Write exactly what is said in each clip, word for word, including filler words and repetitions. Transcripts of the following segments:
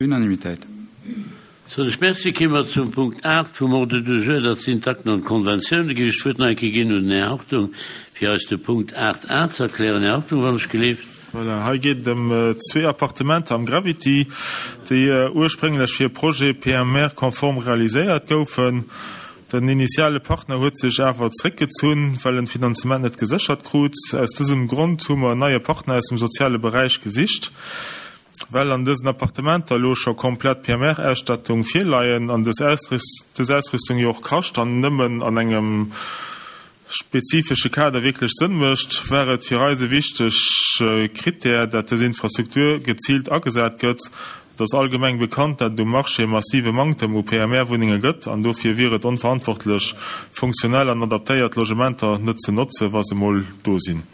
Unanimitéit. Sou, ech merci. Kéime mer zum Punkt aacht vum Ordre du jour, dat sinn d'Akten an d'Konventiounen. Da géif ech d'Wuert nach eng Kéier ginn un den Här Hartung, fir eis de Punkt aacht a ze erklären. Här Hartung, wann ech gelift. Voilà, hei geet et ëm zwee Appartementer am Gravity, déi ursprénglech fir e Projet P M R-konform realiséiert goufen. Den initiale Partner huet sech awer zeréckgezunn, well en d'Finanzement net geséchert krut. Aus dësem Grond hu mer en neie Partner aus dem soziale Beräich gesicht. Well an dësen Appartementer elo scho komplett P M R-Ausstattung virleien an dës Ausrüstung jo och kascht an nëmmen an engem spezifesche Kader wierklech Sënn mécht, war et fir eis e wichtege Krittär, dat dës Infrastruktur geziilt agesat gëtt. Et ass allgemeng bekannt, dat et um Marché e massive Manktem u P M R-Wunnenge gëtt an dofir wier et onverantwortlech, funktionell an adaptéiert Logementer net ze notzen, wa se mol do sinn.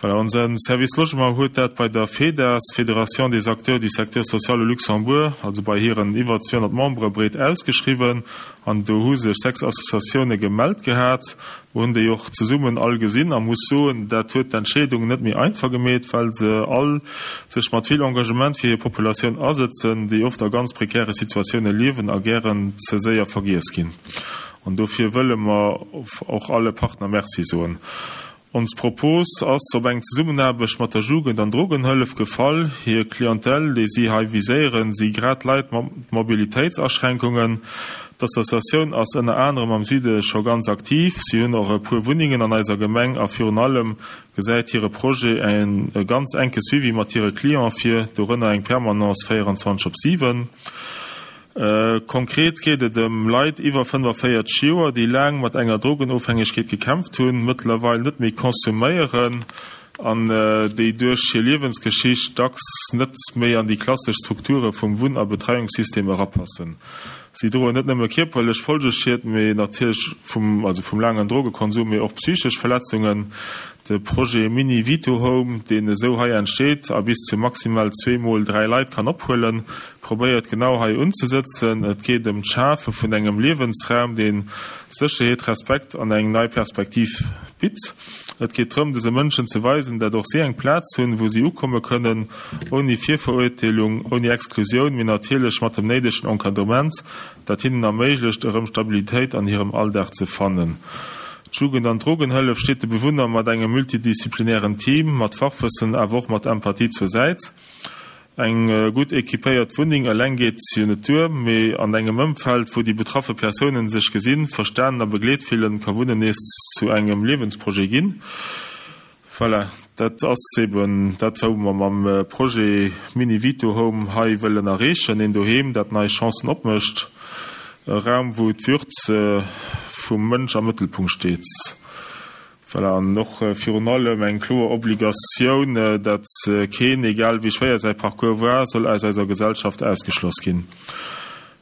Voilà, onse Service Logement huet dat bei der FEDAS, Fédération des acteurs du secteur social au Luxembourg, also bei hiren iwwer zweehonnert Membere breet ausgeschriwwen an do hu sech sechs Associatioune gemellt gehat. Mer hunn déi och zesummen all gesinn a muss soen, dat huet d'Entscheedung net méi einfach gemeet, well se all sech mat vill Engagement fir hir Populatioun asëtzen, déi oft a ganz prekäre Situatioune liewen a gären ze séier vergiess ginn. An dofir wëlle mer och alle Partner Merci soen. Ons Propos ass op eng Zesummenaarbecht mat der Jugend an Drogenhëllef gefall. Hir Clientèle, déi si hei viséieren, si grad Leit mat Mobilitéitsaschränkungen. D'Associatioun ass ënner anerem am Süde scho ganz aktiv. Si hunn och e puer Wunnengen an eiser Gemeng a virun allem gesäit hire Projet e ganz enke Suivi mat hire Cliente vir, dorënner eng Permanence véierundzwanzeg op siwen. Konkret geet et ëm Leit iwwer fënnefavéierzeg Joer, déi laang mat enger Drogenofhängegkeet gekämpft hunn, mëttlerweil net méi konsuméieren an déi duerch hir Liewensgeschicht dacks net méi an déi klassesch Strukture vum Wunn a Betreiungssystem erapassen. Si droen net nëmme kierperlech Folgeschied, mee natierlech vum, also vum laangen Drogekonsum, mee och psychesch Verletzungen. De Projet Mini Vito Home, deen esou hei entsteet a bis zu maximal zwee mol dräi Leit kann ophuelen, probéiert genau hei unzesëtzen. Et geet ëm d'Schafe vun engem Liewensraum, dee Sécherheet, Respekt an eng nei Perspektiv bitt. Et geet drëm, dëse Mënschen ze weisen, dat och si eng Plaz hunn, wou si ukomme kënnen, ouni Virverurteelung, ouni Exklusioun, mee natierlech mat dem néidegen Encadrement, dat hinnen erméiglecht, erëm Stabilitéit an hirem Alldag ze fannen. D'Jugend an Drogenhëllef steet de Bewunner mat engem multidisziplinären Team, mat Fachwëssen, awer och mat Empathie zur Säit. Eng gutt equipéiert Wunneng eleng geet jo net duer, mee an engem Ëmfeld, wou déi betraffe Persounen sech gesinn, verstanen a begleet fillen, ka Wunnen nees zu engem Liewensprojet ginn. Voilà, dat ass eben dat, wou mer mam Projet Mini Vito Home hei wëllen erreechen, een Doheem, dat nei Chancen opmécht, e Raum, wou d'Würd vum Mënsch am Mëttelpunkt steet. Voilà, an och virun allem eng kloer Obligatioun, datt keen, egal wéi schwéier säi Parcours war, soll aus eiser Gesellschaft ausgeschloss ginn.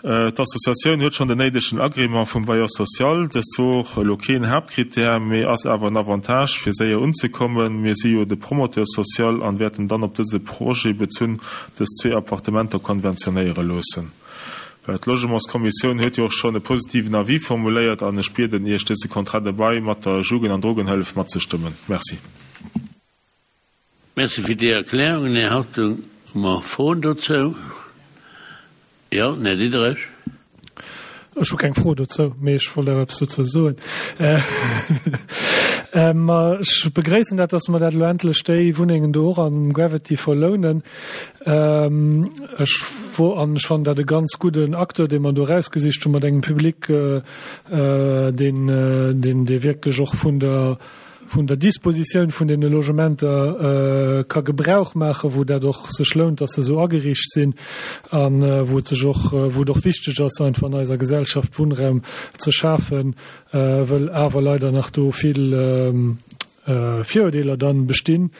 D'Associatioun huet schonn den néidegen Agrément vum Bailleur social. Dëst wor elo keen Haaptkrittär, mee ass awer en Avantage, fir séier unzekommen. Mir si jo de Promoteur social an wäerten dann op dëse Projet bezunn dës zwee Appartementer konventionéiere loossen. Well d'Logementskommissioun huet jo och schonn e positiven Avis formuléiert an ech bieden Iech, dëse Contrat de bail mat der Jugend an Drogenhëllef matzestëmmen. Merci. Merci fir déi Erklärungen, Här Hartung. Hu mer Froen dozou? Jo, den Här Diderich. Ech hu keng Fro dozou, mee ech wollt awer eppes dozou soen. Ma ech begréissen dat, dass mer dat elo endlech déi Wunnengen do och am Gravity verlounen. Ech wo an ech fannen dat e ganz gudden Acteur, dee mer do erausgesicht hu mat engem Public, deen, deen, dee wierklech och vun der, vun der Dispositioun vun deene Logementer ka Gebrauch maachen, wou dat och sech lount, dass se esou ageriicht sinn a wou et sech och, wou et och wichteg ass, einfach an eiser Gesellschaft Wunnraum ze schafen, wëll awer leider nach do vill Virurdeeler dann bestinn.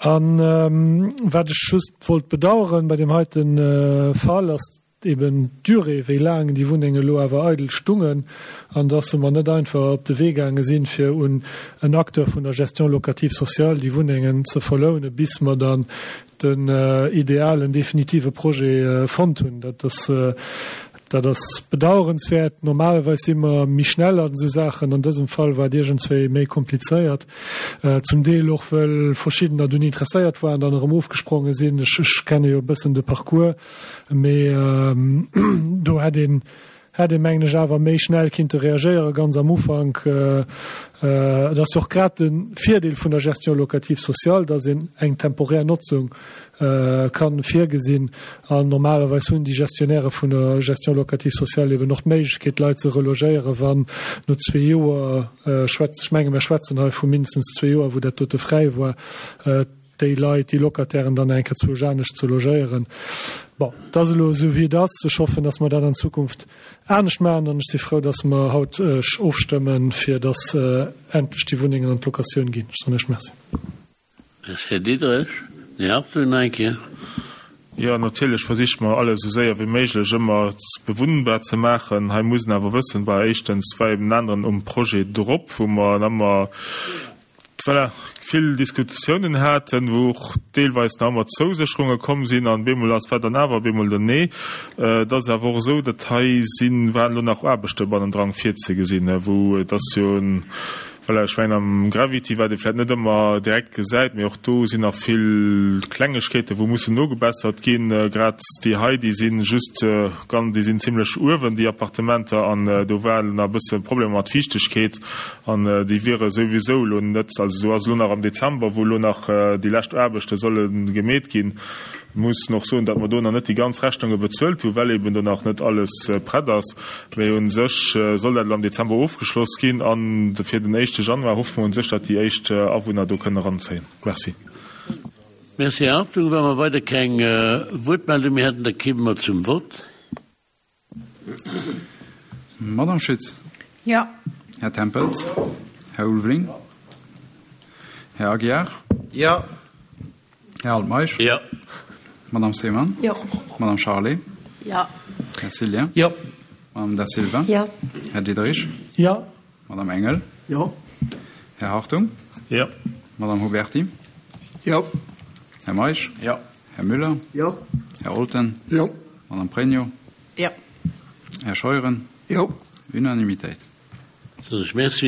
A wat ech just wollt bedauern bei deem heiten Fall, ass eben d'Durée, wéi laang déi Wunnenge elo awer eidel stungen, an dass se mer net einfach op de Wee gaange sinn, fir un en Acteur vun der Gestion locative sociale déi Wunnengen ze verlounen, bis mer dann den idealen, definitive Projet fonnt hunn. Dat ass, Dat ass bedauerenswäert. Normalerweis si mer méi schnell an esou Saachen. An dësem Fall war et iergendswéi méi komplizéiert, zum Deel och wëll verschiddener dunn interesséiert waren, dann erëm ofgespronge sinn. Ech, ech kenne jo e bëssen de Parcours, mee do hätt een, hätt ee mengen ech awer méi schnell kinnte reagéieren, ganz am Ufank. Et ass jo och grad de Virdeel vun der Gestion locative sociale, dass een eng temporär Notzung ka virgesinn. An normalerweis hunn déi Gestionnairë vun der Gestion locative sociale eben och d'Méiglechkeet, d'Leit ze relogéieren, wann no zwee Joer, ech menge mir schwätzen hei vu mindestens zwee Joer, wou dat dote fräi war, déi Leit, déi Locatairen dann eng Kéier zwousch anescht ze logéieren. Bon, et ass elo esou wéi et ass. Ech hoffen, datt mer dat an Zukunft anescht maachen an ech si frou, datt mer haut ofstëmmen, fir datt endlech déi Wunnengen an d'Locatioun ginn. Ech soen Iech Merci. Merci, Här Diderich. Här Hartung nach eng Kéier. Jo, natierlech versiche mer alles esou séier wéi méiglech ëmmer bewunnbar ze maachen. Hei muss een awer wëssen, war éischtens war eben en aneren um Projet drop, wou mer ëmmer, voilà, vill Diskussiounen haten, wou och deelweis nach ëmmer Zousécherunge komm sinn an bemol ass war dann awer bemol den Nee. Et ass awer och esou, datt hei sinn, waren elo nach Aarbechte bannendran virzegesinn, wou et ass jo en, Voilà, ech mengen am Gravity, wat ee vläicht net ëmmer direkt gesäit, mee och do sinn nach vill Klengegkeeten, wou mussen nogebessert ginn. Grad déi hei, déi si just ganz, déi sinn zimlech uewen, déi Appartementer, an do waren nach e bësse Problemer mat Fiichtegkeet an déi wiere souwisou elo net, also do ass elo nach am Dezember, wou elo nach déi lescht Aarbechte solle gemeet ginn. Mussen och soen, datt mer do nach net déi ganz Rechnunge bezuelt hunn, well eben do nach net alles prett ass. Mee u sech soll dat elo am Dezember ofgeschloss ginn a fir den éischte Januar hoffe mer u sech, datt déi éischt Awunner do kënnen eranzéien. Merci. Merci, Här Hartung. Wa mer weider keng Wuertmeldung méi hätten, da kéime mer zum Vott. Madame Schütz. Jo. Här Tempels. Här Ulveling. Här Aguiar. Jo. Här Altmeisch. Jo. Madame Seemann. Jo. Madame Charlé. Jo. Här Cillien. Jo. Madame Da Silva. Jo. Här Diderich. Jo. Madame Engel. Jo. Här Hartung. Jo. Madame Huberty. Jo. Här Meisch. Jo. Här Müller. Jo. Här Olten. Jo. Madame Pregno. Jo. Här Scheuren. Jo. Unanimitéit. Soen ech Merci.